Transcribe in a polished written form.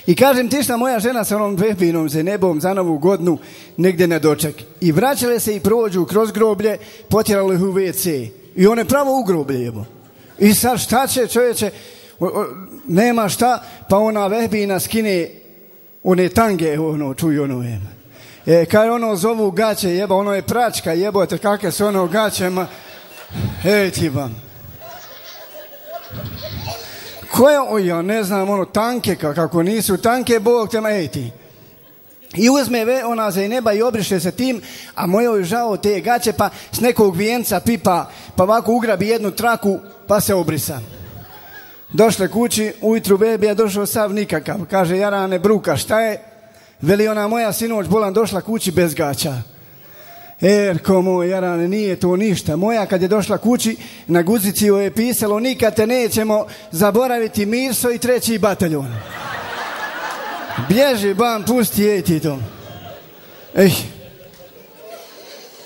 I kažem ti šta, moja žena sa onom vehbinom za nebom za Novu godinu negdje na doček. I vraćale se i prođu kroz groblje, potjerali ih u WC. I one pravo u groblje jebo. I sad šta će čovječe, nema šta, pa ona vehbina skine one tange, čuju ono jeba. Kaj ono zovu gaće jeba, ono je pračka jebote, kakve su ono gaće, ej ti vam. Koje, ja ne znam, ono tanke, kako nisu tanke, Bog tema, ej ti. I uzme ona za neba i obriše se tim, a mojoj žao te gaće, pa s nekog vijenca pipa, pa ovako ugrabi jednu traku, pa se obrisa. Došle kući, ujutru bebija došao sav nikakav. Kaže, jarane bruka, šta je? Veli ona moja sinoć bolan došla kući bez gaća. Erko moj, jarane, nije to ništa. Moja kad je došla kući, na guzici joj je pisalo, nikad te nećemo zaboraviti, Mirso i 3. bataljon. Bježi, bam, pusti, ej ti to. Ej.